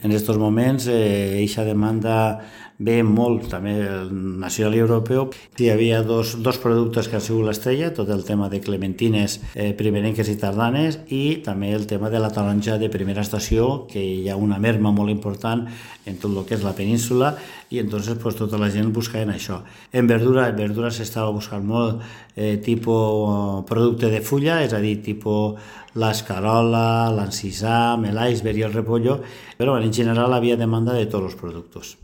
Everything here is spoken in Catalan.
En aquests moments, eixa demanda ve molt, també el nacional i europeu. Hi havia dos productes que han sigut l'estrella, tot el tema de clementines primerenques i tardanes i també el tema de la taronja de primera estació, que hi ha una merma molt important en tot el que és la península i entonces pues, tota la gent buscava en això. En verdura s'estava buscant molt tipus producte de fulla, és a dir, tipus l'escarola, l'encisam, l'iceberg i el repollo, però en general havia demanda de tots els productes.